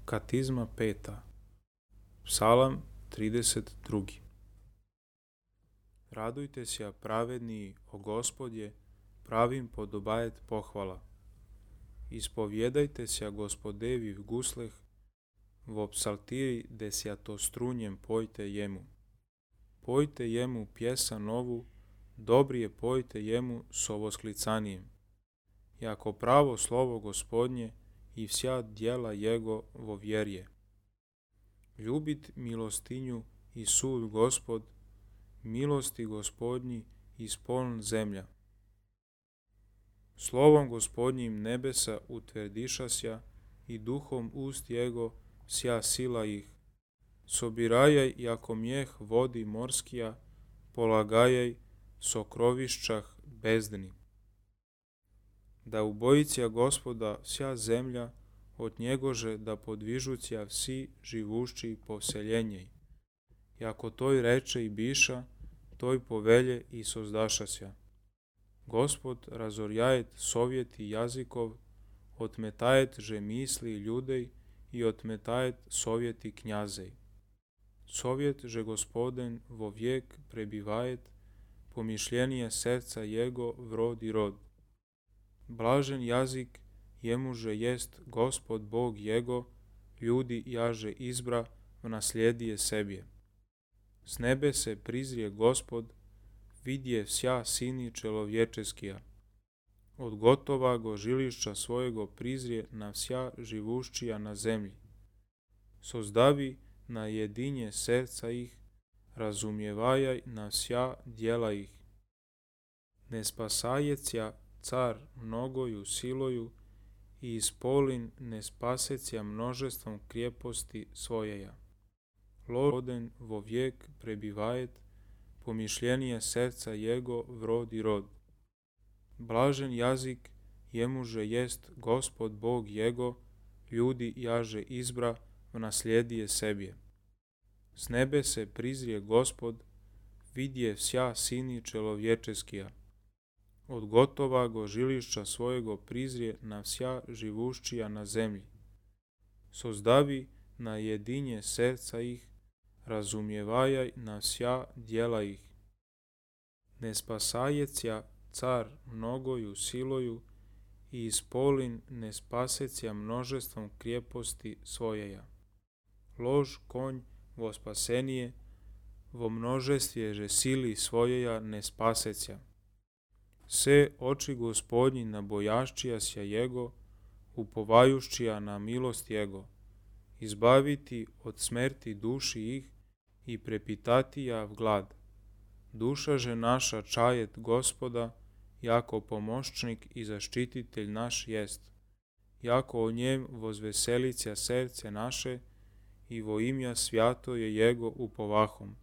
Katizma 5. Psalam 32. Radujte se, pravedniji, o Gospodje, pravim podobajet pohvala. Ispovjedajte se, Gospodevi v gusleh, vo psaltiri desjatostrunjem pojte jemu. Pojte jemu pjesa novu, dobrije pojte jemu so vosklicanijem. Jako pravo slovo Gospodnje i vsja djela jego vo vjerje. Ljubit milostinju i sud Gospod, milosti Gospodnji ispoln zemlja. Slovom Gospodnjim nebesa utverdišasja i duhom ust jego vsja sila ih. Sobirajaj jako mjeh vodi morskija, polagajaj sokrovišćah bezdni. Da ubojicija Gospoda vsja zemlja, od njegože da podvižucija vsi živušći povseljenjej. Jako toj reče i biša, toj povelje i sozdašasja. Gospod razorjajet sovjeti jazikov, otmetajet že misli ljudej i otmetajet sovjeti knjazej. Sovjet že Gospoden vo vijek prebivajet, pomišljenije srca jego vrod i rod. Blažen jazik jemuže jest Gospod Bog jego, ljudi jaže izbra v naslijedije sebje. S nebe se prizrije Gospod, vidje vsja sini čelovječeskija. Od gotova go žilišća svojego prizrije na vsja živušćija na zemlji. Sozdavi na jedinje srca ih, razumijevajaj na vsja djela ih. Ne spasajecja car mnogoju siloju i ispolin ne spasecja množestvom krijeposti svojeja. Gospoden vo vijek prebivajet, pomišljenije srca jego vrod i rod. Blažen jazik jemuže jest Gospod Bog jego, ljudi jaže izbra v naslijedije sebje. S nebe se prizrije Gospod, vidje vsja sini čelovječeskija. Od gotova go žilišća svojego prizrije na vsja živušćija na zemlji. Sozdavi na jedinje srca ih, razumijevajaj na vsja djela ih. Ne spasajecja car mnogoju siloju i ispolin ne spasecja množestvom krijeposti svojeja. Lož konj vo spasenije, vo množestvje že sili svojeja ne spasecja. Se oči Gospodnji nabojaščijasja jego, upovajuščija na milost jego, izbaviti od smrti duši ih i prepitatija v glad. Duša že naša čajet Gospoda, jako pomoćnik i zaštititelj naš jest, jako o njem vozveselicija srce naše i vo imja svjato je jego upovahom.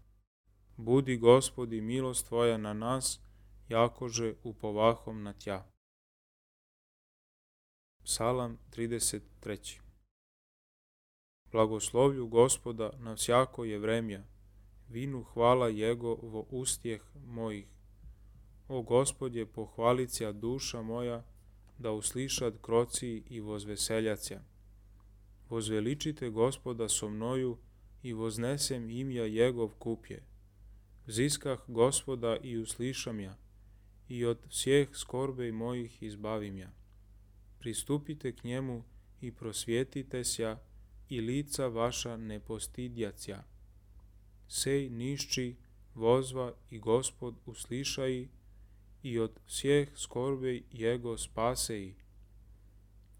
Budi Gospodi milost tvoja na nas, jakože upovahom na tja. Psalam 33. Blagoslovlju Gospoda na vsjako je vremja, vinu hvala jego vo ustjeh mojih. O Gospodje, pohvalicija duša moja, da uslišad kroci i vozveseljacija. Vozveličite Gospoda so mnoju i voznesem imja jegov kupje. Vziskah Gospoda i uslišam ja, i od vseh skorbej mojih izbavim ja. Pristupite k njemu i prosvjetite sja, i lica vaša ne postidjacja. Sej nišči, vozva i Gospod uslišaji, i od vseh skorbej jego spaseji.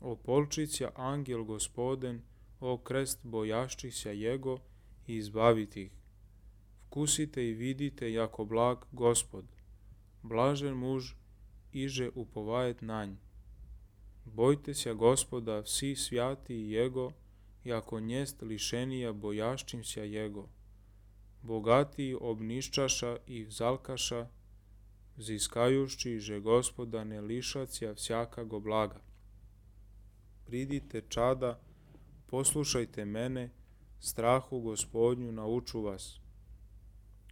Opolčića angel Gospoden, o krest bojaščisja jego, i izbaviti ih. Vkusite i vidite jako blag Gospod, blažen muž, iže upovajet na nj. Bojte se Gospoda vsi svjati jego, jako njest lišenija bojaščimsja jego. Bogatiji obniščaša i vzalkaša, ziskajušći že Gospoda ne lišacija vsjakago blaga. Pridite čada, poslušajte mene, strahu Gospodnju nauču vas.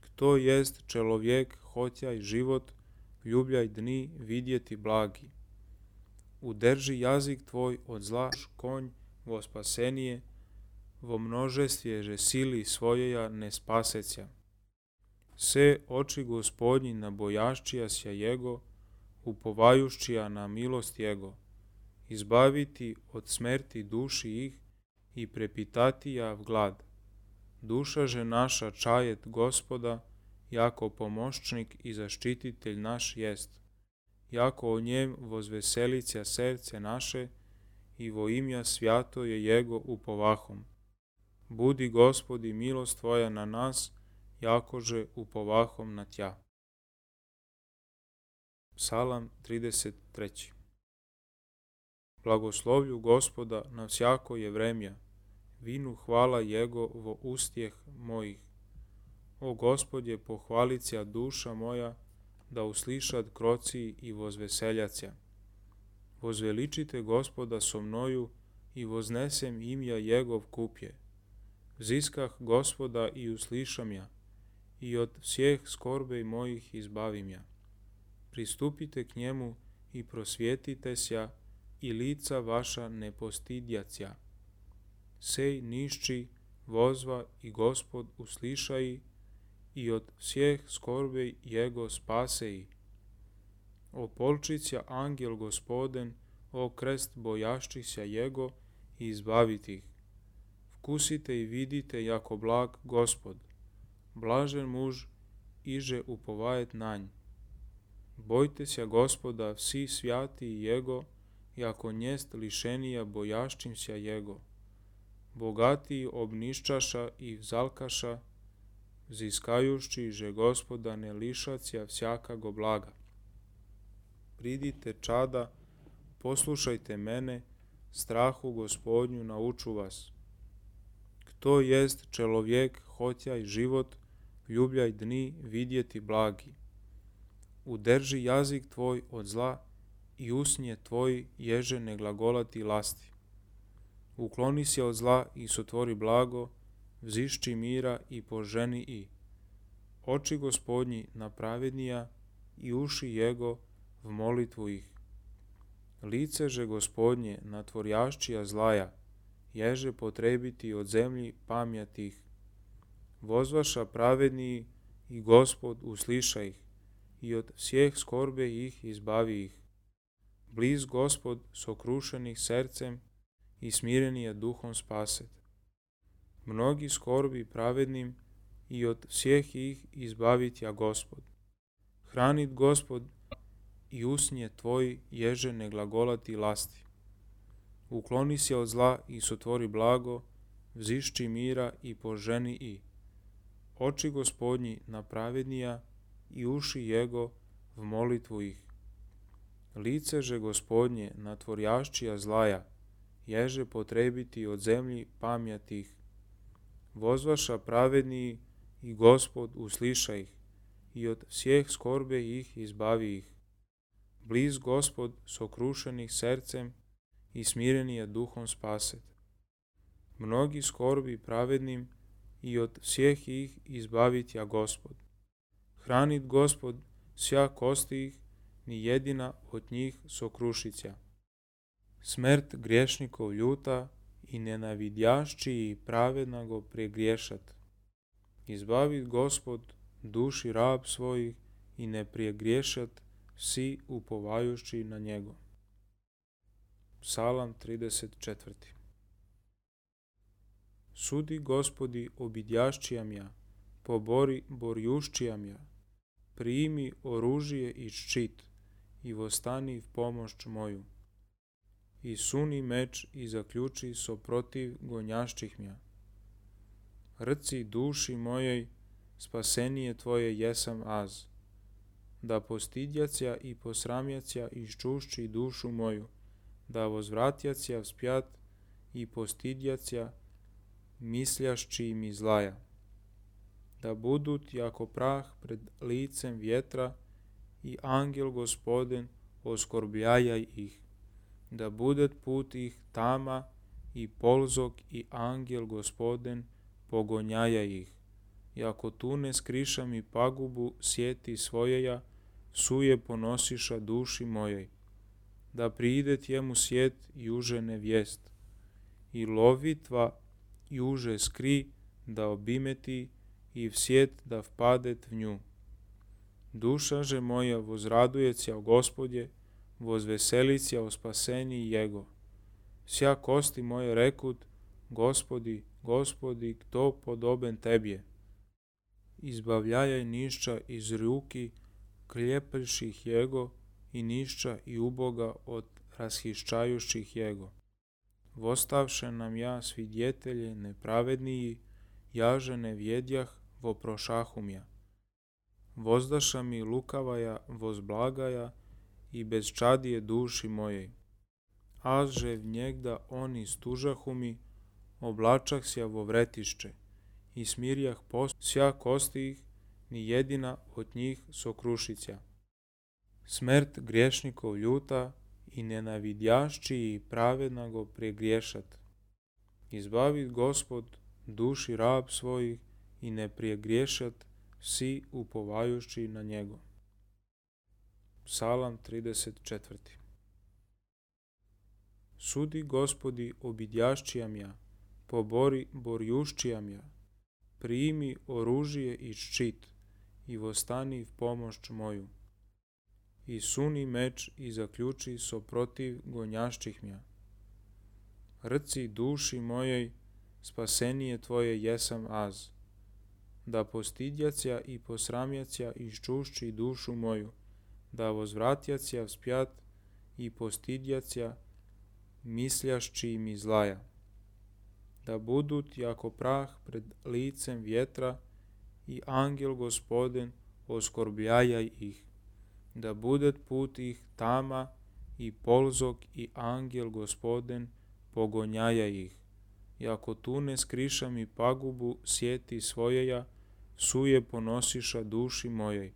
Kto jest čelovjek, hotjaj život, ljubljaj dni vidjeti blagi. Udrži jazik tvoj od zla, konj vo spasenije, vo množestvježe sili svojeja ne spaseća. Se oči Gospodnji nabojaščija sja Jego, upovajuščija na milost Jego, izbaviti od smrti duši ih i prepitatija v glad. Duša že naša čajet Gospoda, jako pomoćnik i zaštititelj naš jest, jako o njem vozveselića srce naše i vo imja svjato je Jego upovahom. Budi Gospodi milost Tvoja na nas, jakože upovahom na Tja. Psalam 33. Blagoslovlju Gospoda na всяко je vremja, vinu hvala Jego vo ustjeh mojih. O Gospodje, pohvalicja duša moja, da uslišad kroci i vozveseljacija. Vozveličite Gospoda so mnoju i voznesem imja Jegov kupje. Ziskah Gospoda i uslišam ja, i od всех skorbej mojih izbavim ja. Pristupite k njemu i prosvjetite sja, i lica vaša ne postidjacija. Sej nišči vozva i Gospod uslišaji, i od всех skorbej Jego spaseji. O polčića angel Gospoden, o krest bojaščися Jego, i izbaviti ih. Vkusite i vidite jako blag Gospod, blažen muž, iže upovajet na nj. Bojte sja Gospoda vsi svjati Jego, jako njest lišenija bojaščimся Jego. Bogatiji obniščaša i vzalkaša, ziskajušći že Gospoda ne lišacija всякого blaga. Pridite čada, poslušajte mene, strahu Gospodnju nauču vas. Kto jest čelovjek, hotjaj život, ljubljaj dni vidjeti blagi. Udrži jazik tvoj od zla i usnje tvoj ježe ne glagolati lasti. Ukloni se od zla i sotvori blago, vzišči mira i poženi i. Oči Gospodnji na pravednija i uši Jego v molitvu ih. Lice že Gospodnje na tvorjaščija zlaja, ježe potrebiti od zemlji pamjatih. Vozvaša pravedniji i Gospod usliša ih, i od всех skorbe ih izbavi ih. Bliz Gospod sokrušenih srcem i smirenija duhom spaset. Mnogi skorbi pravednim i od всех ih izbavit ja Gospod. Hranit Gospod i usnje tvoji ježe ne glagolati lasti. Ukloni se od zla i sotvori blago, vzišči mira i poženi i. Oči Gospodnji na pravednija i uši Jego v molitvu ih. Lice že Gospodnje na tvorjaščija zlaja, ježe potrebiti od zemlji pamjatih. Vozvaša pravedniji i Gospod usliša ih, i od всех skorbe ih izbavi ih. Bliz Gospod sokrušenih srcem i smirenija duhom spaset. Mnogi skorbi pravednim i od всех ih izbavit ja Gospod. Hranit Gospod sja kosti ih, ni jedina od njih sokrušića. Smrt griješnikov ljuta i nenavidjašći i pravedna go pregriješat. Izbavit Gospod duši rab svojih i ne pregriješat vsi upovajući na njego. Psalam 34. Sudi Gospodi obidjašćijam ja, pobori borjušćijam ja, primi oružje i ščit i vostani v pomoć moju. I suni meč i zaključi so protiv gonjašćih mja. Rci duši mojej, spasenije tvoje jesam az. Da postidjacija i posramjacija iščušći dušu moju, da vozvratjacija vspjat i postidjacija misljašći mi zlaja. Da budut jako prah pred licem vjetra i angel Gospoden oskorbljajaj ih. Da budet put ih tama i polzok i angel Gospoden pogonjaja ih. Jako tu ne skriša mi pagubu sjeti svojeja, suje ponosiša duši mojej. Da pridet jemu sjet i užene vijest. I lovitva juže skri da obimeti i v sjet da vpadet v nju. Duša že moja vozradujeća o Gospodje, vozveselića o spaseniji Jego. Sja kosti moje rekut, Gospodi, Gospodi, kto podoben Tebje? Izbavljajaj nišća iz ruki kljepelših Jego i nišća i uboga od rashiščajuših Jego. Vostavše nam ja svidjetelje nepravedniji, jaže ne vjedjah, voprošahum ja. Vozdaša mi lukavaja, vozblagaja i bezčadije duši mojej. Azže v njegda oni stužahu mi, oblačah sja vo vretišće i smirjah post sja kosti ih, ni jedina od njih sokrušića. Smrt griješnikov ljuta i nenavidjašći i pravedna go pregriješat. Izbavit Gospod duši rab svojih i ne pregriješat svi upovajući na njego. Psalam 34. Sudi Gospodi obidjašćijam ja, pobori borjušćijam ja, primi oružje i ščit i vostani v pomoć moju. I suni meč i zaključi so protiv gonjašćih mja. Rci duši mojej, spasenije tvoje jesam az. Da postidjacija i posramjacija iščušći dušu moju, da vozvratjacija vspjat i postidjacija misljašći mi zlaja. Da budut jako prah pred licem vjetra i angel Gospoden oskorbljajaj ih. Da budet put ih tama i polzok i angel Gospoden pogonjajaj ih. Jako tu ne skriša mi pagubu sjeti svojeja, suje ponosiša duši mojej.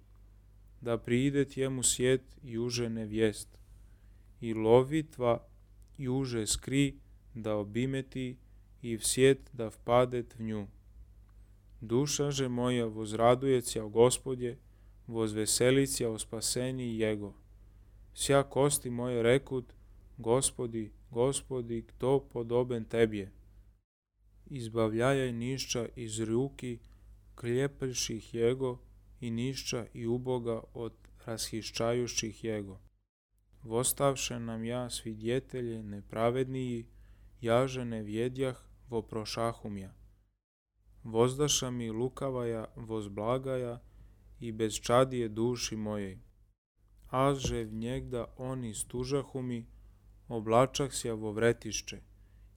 Da priidet jemu sjet juže nevijest i lovitva juže skri da obimeti i v sjet da vpadet v nju. Duša že moja vozradujeća o Gospodje, vozveselića o spaseniji Jego. Sja kosti moje rekut, Gospodi, Gospodi, kto podoben Tebje? Izbavljajaj nišća iz ruki kljepelših Jego i nišća i uboga od rashiščajuših Jego. Vostavše nam ja svidjetelje nepravedniji, jaže ne vjedjah, voprošahum ja. Vozdaša mi lukavaja, vozblagaja i bezčadije duši mojej. Azže v njegda oni stužahu mi, oblačah sja vo vretišće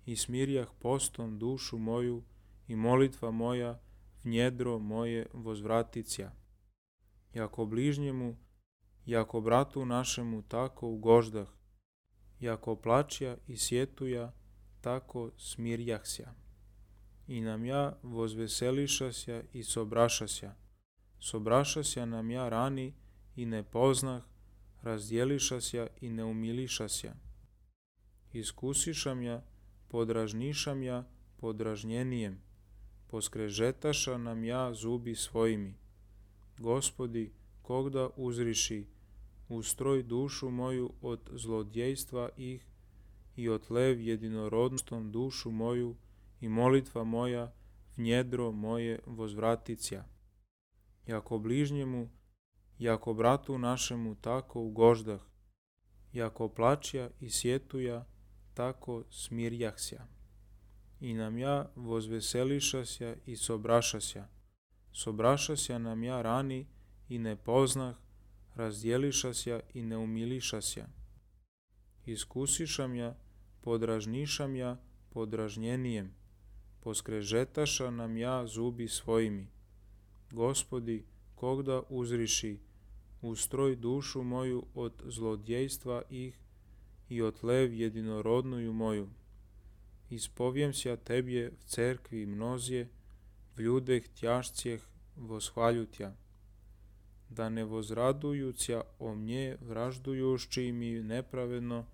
i smirjah postom dušu moju i molitva moja v njedro moje vozvraticija. Jako bližnjemu, jako bratu našemu tako ugoždah, jako plačja i sjetuja, tako smirjahsja. I nam ja vozveselišasja i sobrašasja. Sobrašasja nam ja rani i ne poznah, razdjelišasja i ne umilišasja. Iskusišam ja, podražnišam ja podražnjenijem, poskrežetaša nam ja zubi svojimi. Gospodi, kogda uzriši, ustroj dušu moju od zlodjejstva ih i otlev jedinorodnostom dušu moju i molitva moja v njedro moje vozvraticija. Jako bližnjemu, jako bratu našemu tako ugoždah, jako plačja i sjetuja, tako smirjahsja. I nam ja vozveselišasja i sobrašasja. Sobrašasja nam ja rani i ne poznah, razdjelišasja i ne umilišasja. Iskusišam ja, podražnišam ja podražnjenijem, poskrežetaša nam ja zubi svojimi. Gospodi, kogda uzriši, ustroj dušu moju od zlodjejstva ih i otlev jedinorodnuju moju. Ispovijem sja Tebje v cerkvi mnozje, v ljudeh tjašcijeh voshvaljutja. Da ne vozradujuća o mnje vraždujušći mi nepravedno,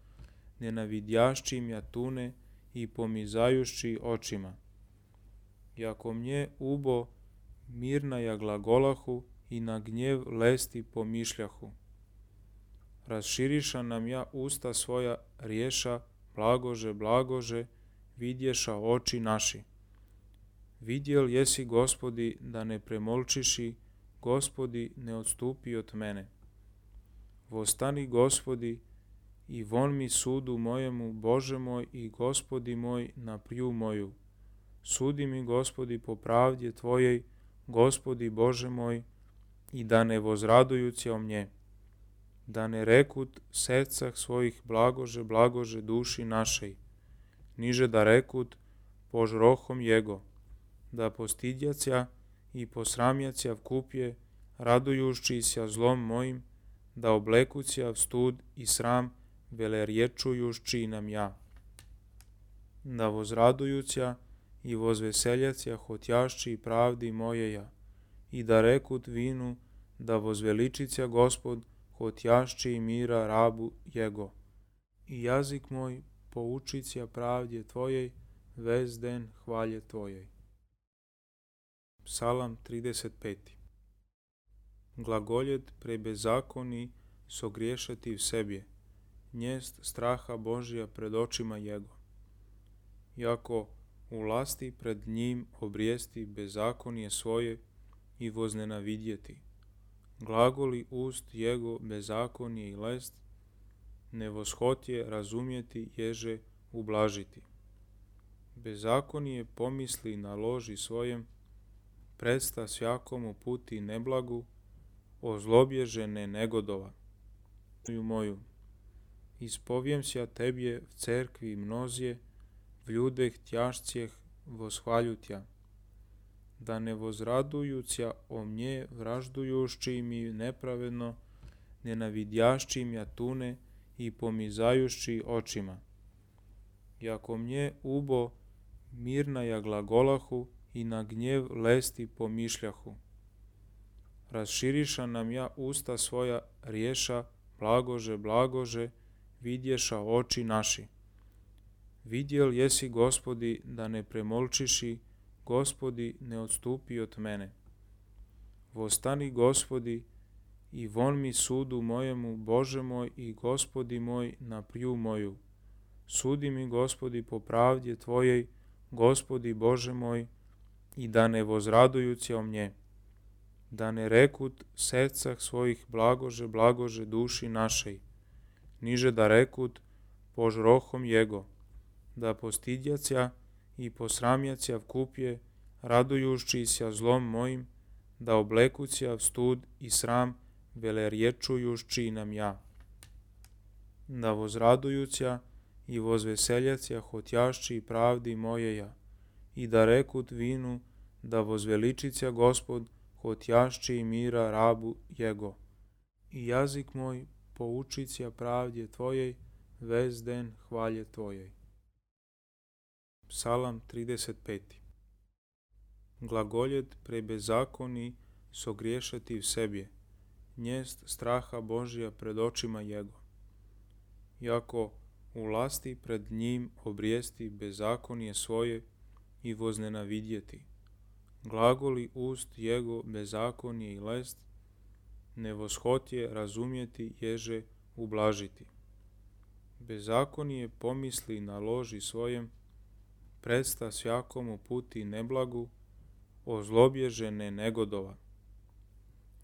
nenavidjašći mja tune i pomizajušći očima. Jako mnje ubo mirna ja glagolahu i na gnjev lesti pomišljahu. Raširiša nam ja usta svoja riješa, blagože, blagože, vidješa oči naši. Vidjel jesi, Gospodi, da ne premolčiši, Gospodi, ne odstupi od mene. Vostani, Gospodi, i von mi sudu mojemu, Bože moj i Gospodi moj, na priju moju. Sudi mi, Gospodi, po pravdi Tvojej, Gospodi Bože moj, i da ne vozradujući o mnje. Da ne rekut srcah svojih blagože, blagože duši našej. Niže da rekut požrohom jego. Da postidjacija i posramjacija vkupje, radujući se zlom mojim, da oblekuća stud i sram, velerječujući nam ja. Da vozradujuća i vozveseljacija hotjašći pravdi mojeja, i da rekut vinu, da vozveličića Gospod, hotjašći i mira rabu jego. I jazik moj poučića pravdje Tvojej, vez den hvalje Tvojej. Psalam 35. Glagoljet pre bezakoni sogriješati v sebje, njest straha Božja pred očima jego. Jako ulasti pred njim obrijesti bezakonje svoje i voznenavidjeti. Glagoli ust jego bezakonje i lest, ne voshotje razumjeti ježe ublažiti. Bezakonje pomisli na loži svojem, predsta svakomu puti neblagu, ozlobježene negodova. Moju, ispovijem sja tebje v cerkvi mnozje, v ljudeh tjašcijeh voshvaljutja, da ne vozradujuća o mnje vraždujući mi nepravedno, nenavidjašći mja tune i pomizajući očima. Jako mnje ubo mirnaja glagolahu i na gnjev lesti pomišljahu. Raširiša nam ja usta svoja riješa, blagože, blagože, vidješa oči naši. Vidjel jesi, Gospodi, da ne premolčiši, Gospodi, ne odstupi od mene. Vostani, Gospodi, i von mi sudu mojemu, Bože moj i Gospodi moj, na priju moju. Sudi mi, Gospodi, po pravdi Tvojej, Gospodi Bože moj, i da ne vozradujući o mnje. Da ne rekut srcah svojih blagože, blagože duši našej. Niže da rekut požrohom jego. Da postidjacija i posramjacija vkupje, radujući se zlom mojim, da oblekuća stud i sram, velerječujući nam ja. Da vozradujuća i vozveseljacija hotjašći pravdi mojeja, i da rekut vinu, da vozveličića Gospod, hotjašći i mira rabu jego. I jazik moj poučića pravdje Tvojej, vez den hvalje Tvojej. Psalam 35. Glagoljet pre bezakoni sogriješati v sebje, njest straha Božja pred očima jego. Jako ulasti pred njim obrijesti bezakonje svoje i voznenavidjeti. Glagoli ust jego bezakonje i lest, ne voshotje razumjeti ježe ublažiti. Bezakonje pomisli na loži svojem, predsta svakomu puti neblagu, ozlobježene negodova.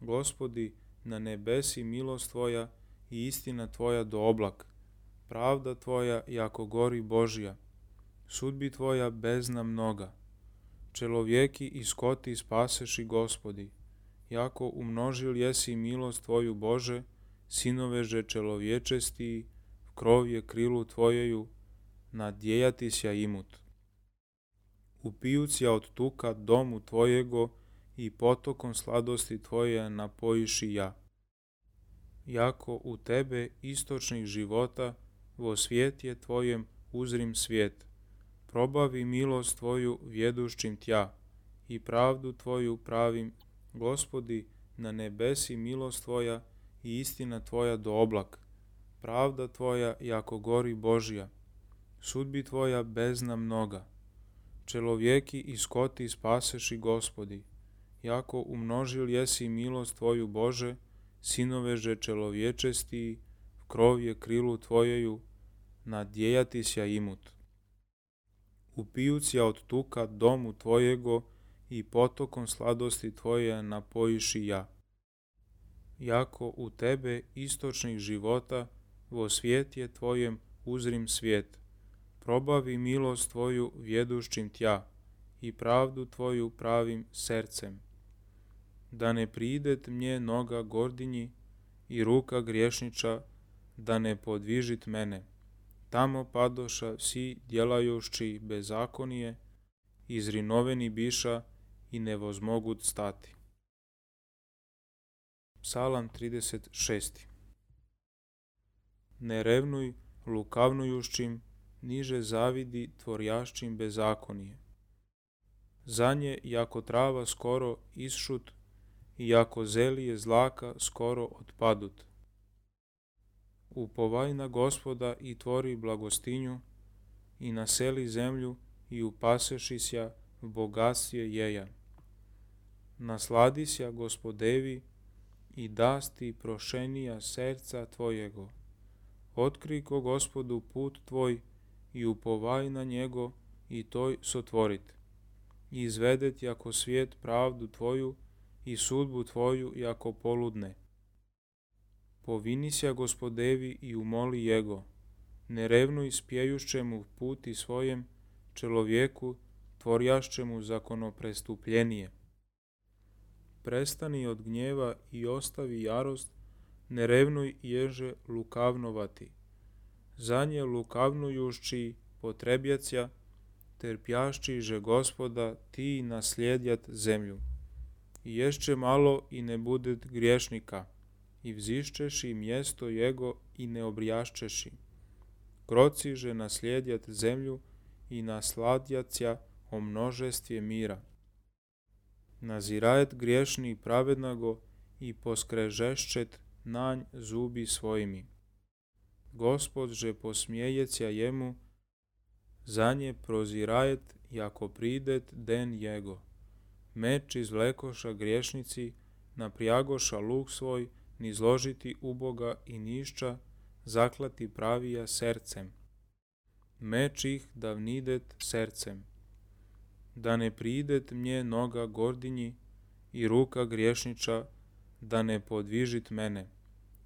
Gospodi, na nebesi milost Tvoja i istina Tvoja do oblak, pravda Tvoja jako gori Božja, sudbi Tvoja bezna mnoga. Čelovjeki i skoti spaseši, Gospodi, jako umnožil jesi milost Tvoju, Bože, sinoveže čelovječesti, v krovje krilu Tvojeju, nadjejati sja imut. Upijuća od tuka domu Tvojego i potokom sladosti Tvoje napojiši ja. Jako u Tebe istočnih života, vo svijetje Tvojem uzrim svijet. Probavi milost Tvoju vjedušćim Tja i pravdu Tvoju pravim. Gospodi, na nebesi milost Tvoja i istina Tvoja do oblak. Pravda Tvoja jako gori Božja. Sudbi Tvoja bezna mnoga. Čelovjeki i skoti spaseši, Gospodi. Jako umnožil jesi milost Tvoju, Bože, sinoveže čelovječesti, v krovje krilu Tvojeju, nadjejati sja imut. Upijuća od tuka domu Tvojego i potokom sladosti tvoje napojiši ja. Jako u tebe istočnih života, vo svijetje tvojem uzrim svijet. Probavi milost tvoju vjeduščim tja i pravdu tvoju pravim srcem. Da ne pridet mnje noga gordinji i ruka griješniča, da ne podvižit mene. Tamo padoša vsi djelajući bezakonije, izrinoveni biša i ne vozmogut stati. Psalam 36. Ne revnuj lukavnujušćim, niže zavidi tvorjašćim bezakonije. Za nje, jako trava skoro isšut, i jako zelije zlaka skoro otpadut. Upovaj na Gospoda i tvori blagostinju, i naseli zemlju i upasešisja v bogatstvje jeja. Nasladisja Gospodevi i dasti prošenija srca tvojego. Otkriko Gospodu put tvoj i upovaj na njego i toj sotvorit. I izvedet jako svijet pravdu tvoju i sudbu tvoju jako poludne. Povinisja Gospodevi i umoli jego. Ne revnuj spjejušćemu puti svojem, čelovjeku tvorjašćemu zakonoprestupljenije. Prestani od gnjeva i ostavi jarost, ne revnuj ježe lukavnovati. Za nje lukavnujušći potrebjacija, terpjašći že Gospoda ti naslijedjat zemlju. I ješće malo i ne budet griješnika, i vzišćeši mjesto jego i ne obrijašćeši. Kroci že naslijedjat zemlju i nasladjacija o množestvje mira. Nazirajet griješni pravednago i poskrežešćet nanj zubi svojimi. Gospod že posmijejecja jemu, za nje prozirajet jako pridet den jego. Meč izvlekoša griješnici, naprijagoša luk svoj, nizložiti uboga i nišća, zaklati pravija srcem. Meč ih da vnidet srcem. Da ne pridet mnje noga gordinji i ruka griješniča, da ne podvižit mene.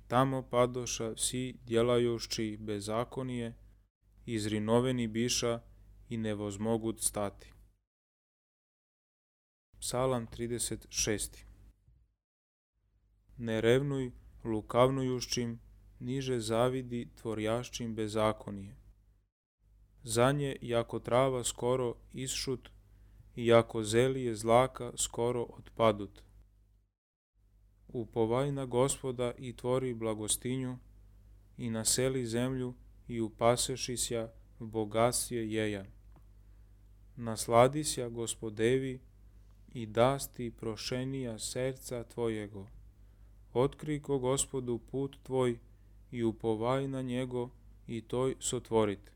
Tamo padoša vsi djelajući bezakonije, izrinoveni biša i ne vozmogut stati. Psalam 36. Ne revnuj lukavnujušćim, niže zavidi tvorjašćim bezakonije. Za nje, jako trava skoro isšut, i jako zelije zlaka skoro otpadut. Upovaj na Gospoda i tvori blagostinju, i naseli zemlju i upasešisja v bogatstvje jeja. Nasladisja Gospodevi i dasti prošenija srca tvojego. Otkriko Gospodu put tvoj i upovaj na njego i toj sotvorit.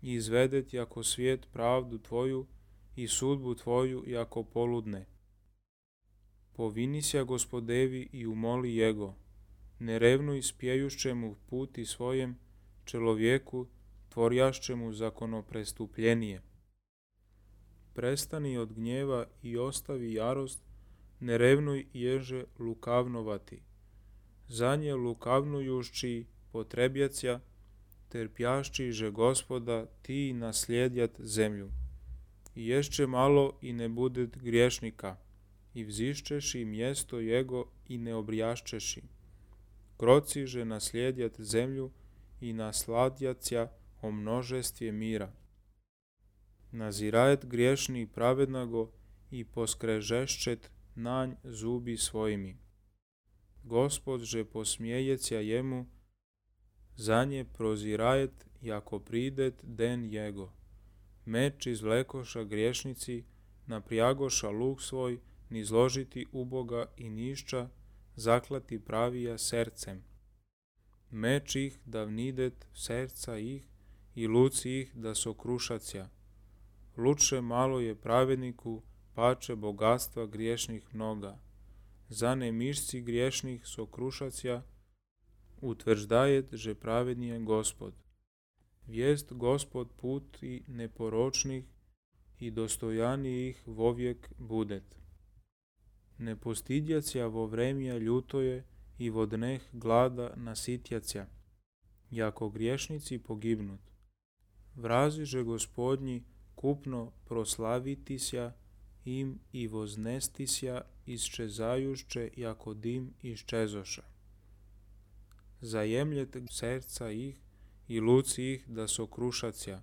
I izvedet jako svijet pravdu tvoju i sudbu tvoju jako poludne. Povinisja Gospodevi i umoli jego. Ne revnuj spjejušćemu puti svojem, čelovjeku tvorjašćemu zakonoprestupljenije. Prestani od gnjeva i ostavi jarost, ne revnuj ježe lukavnovati. Za nje lukavnujušći potrebjacija, terpjašći že Gospoda ti naslijedjat zemlju. I ješće malo i ne budet griješnika, i vzišćeši mjesto jego i ne obrijašćeši. Kroci že naslijedjat zemlju i nasladjacija o množestvje mira. Nazirajet griješni pravednago i poskrežešćet nanj zubi svojimi. Gospod že posmijejecja jemu, za nje prozirajet jako pridet den jego. Meč izvlekoša griješnici, naprijagoša luk svoj, nizložiti uboga i nišća, zaklati pravija srcem. Meč ih da vnidet srca ih i luci ih da sokrušacija. Luče malo je pravedniku, pače bogatstva griješnih mnoga. Za ne mišci griješnih sokrušacija, utvrđdajet že pravednije Gospod. Vijest Gospod put i neporočnih, i dostojanijih vovijek budet. Ne postidjacja vo vremja ljutoje i vo dneh glada nasitjacja, jako griješnici pogibnut. Vraziže Gospodnji kupno proslavitisja im i voznestisja isčezajušće jako dim iščezoša. Zajemljete serca ih i luci ih da sokrušacja.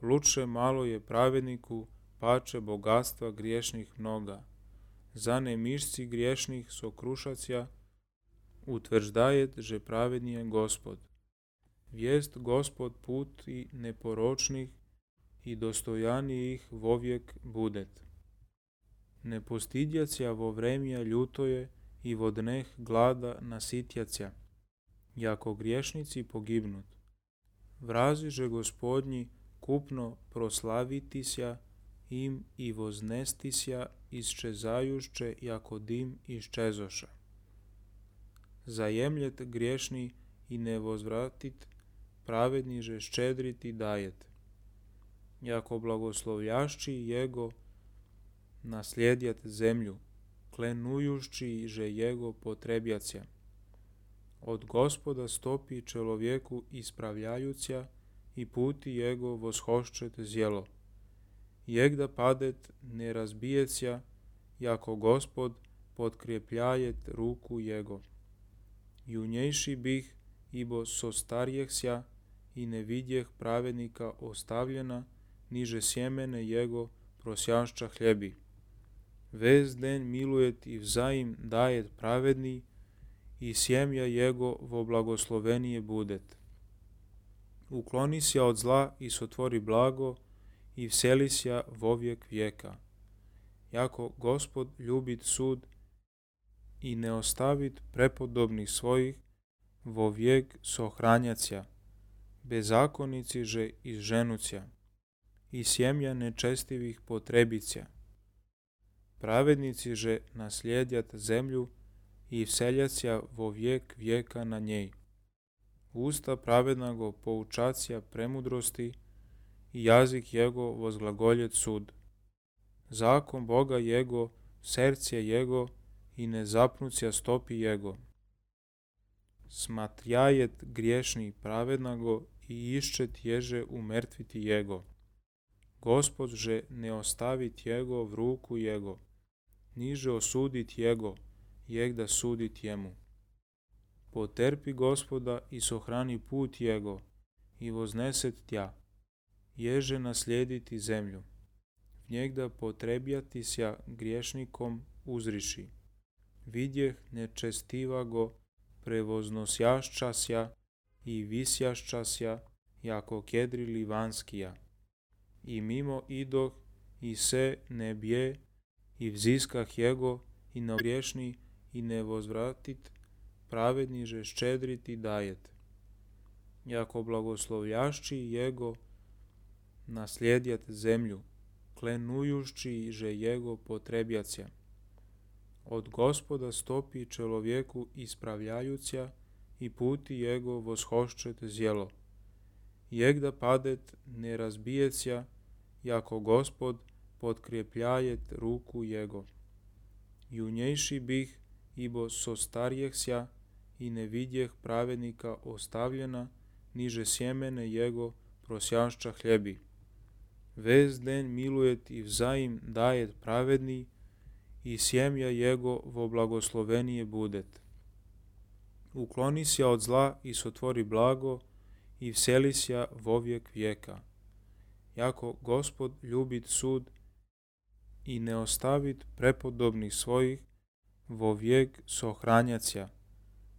Luče malo je pravedniku, pače bogatstva griješnih mnoga. Za nemišci griješnih sokrušacja, utvrđdajet že pravednije Gospod. Vijest Gospod put i neporočnih i dostojanijih vovijek budet. Ne postidjacja vo vremja ljutoje i vo dneh glada nasitjacja, jako griješnici pogibnut. Vraziže Gospodnji kupno proslavitisja im i voznestisja isčezajušće jako dim iščezoša. Zajemljet griješni i ne vozvratit, pravedniže ščedriti dajet. Jako blagoslovljašći jego naslijedjat zemlju, klenujušći že jego potrebjacija. Od Gospoda stopi čelovjeku ispravljajuća i puti jego voshošćet zjelo. Jegda padet ne razbijecja, jako Gospod potkrepljajet ruku jego. Junjejši bih, ibo sostarjehsja i ne vidjeh pravednika ostavljena, niže sjemene jego prosjašća hljebi. Vez den milujet i vzajim dajet pravedni i sjemja jego vo blagoslovenije budet. Uklonisja od zla i sotvori blago i vselisja vovijek vijeka. Jako Gospod ljubit sud i ne ostavit prepodobnih svojih, vo vijek sohranjacja, bezakonici že izženucja i sjemja nečestivih potrebicja. Pravednici že naslijedjat zemlju i vseljacja vo vijek vijeka na njej. Usta pravednago poučacija premudrosti i jazik jego vozglagoljet sud. Zakon Boga jego, serce jego i ne zapnucija stopi jego. Smatrjajet griješni pravednago i iščet ježe umrtviti jego. Gospod že ne ostavit jego v ruku jego, niže osudit jego, jegda sudit jemu. Poterpi Gospoda i sohrani put jego i vozneset tja, ježe naslijediti zemlju. Njegda potrebjatisja griješnikom uzriši. Vidjeh nečestivago prevoznosjaščasja i visjaščasja jako kedri livanskija. I mimo idoh i se ne bje i vziskah jego i na griješni i ne vozvratit, pravedniže ščedriti dajet. Jako blagoslovljašći jego naslijedjat zemlju, klenujušći že jego potrebjacija. Od Gospoda stopi čelovjeku ispravljajuća i puti jego voshošćet zjelo. Jegda padet ne razbijecja, jako Gospod potkrepljajet ruku jego. Junjejši bih, ibo sostarjehsja i ne vidjeh pravednika ostavljena, niže sjemene jego prosjašća hljebi. Vez den milujet i vzajim dajet pravedni i sjemja jego vo blagoslovenije budet. Uklonisja od zla i sotvori blago i vselisja vovijek vijeka. Jako Gospod ljubit sud i ne ostavit prepodobnih svojih, vo vijek sohranjacja,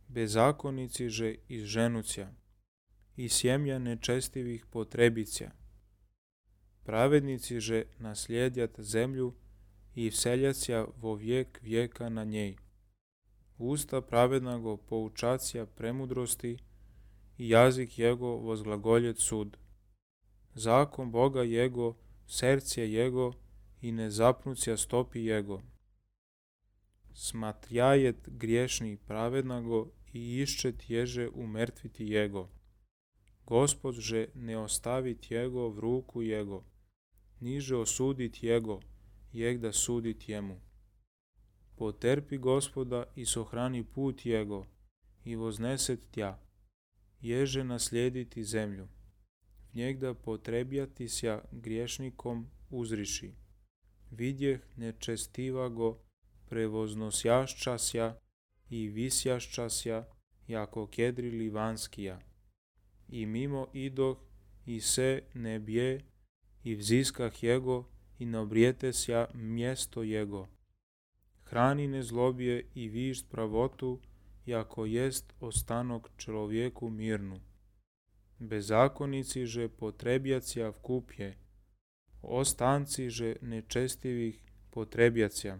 bezakonici že izženucja i sjemja nečestivih potrebicja. Pravednici že naslijedjat zemlju i vseljacija vo vijek vijeka na njej. Usta pravednago poučacija premudrosti i jazik jego vozglagoljet sud. Zakon Boga jego, serce jego i ne zapnucija stopi jego. Smatrjajet griješni pravednago i iščet ježe umrtviti jego. Gospod že ne ostavit jego v ruku jego, niže osudit jego, jeg da sudit jemu. Poterpi Gospoda i sohrani put jego, i vozneset tja, ježe naslijediti zemlju. Njeg da potrebjatisja griješnikom uzriši. Vidjeh nečestivago prevoznosjaščasja i visjaščasja, jako kedri livanskija. I mimo idoh, i se ne bje, i vziskah jego, i nabrijetesja mjesto jego. Hrani nezlobije i višt pravotu, jako jest ostanok človjeku mirnu. Bezakonici že potrebjacija vkupje, ostanci že nečestivih potrebjacija.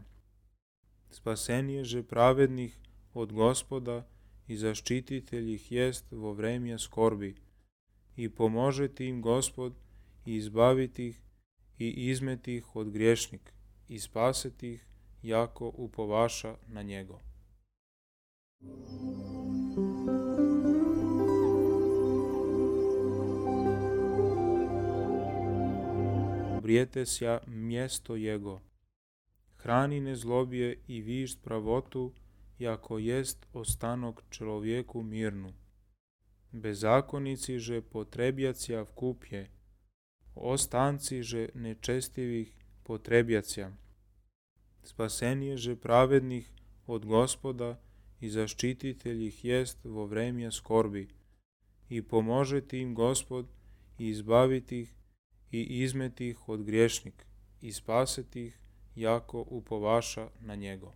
Spasenje že pravednih od Gospoda i zaštititelj ih jest vo vremje skorbi. I pomožeti im Gospod i izbaviti ih i izmeti ih od griješnik i spaseti ih jako upovaša na njego. Brijetesja mjesto jego. Hrani nezlobije i višt pravotu, jako jest ostanok človjeku mirnu. Bezakonici že potrebjacija vkupje, ostanci že nečestivih potrebjacija. Spasenje že pravednih od Gospoda i zaštititelj ih jest vo vremje skorbi. I pomožeti im Gospod i izbaviti ih i izmeti ih od griješnik i spaseti ih jako upovaša na njego.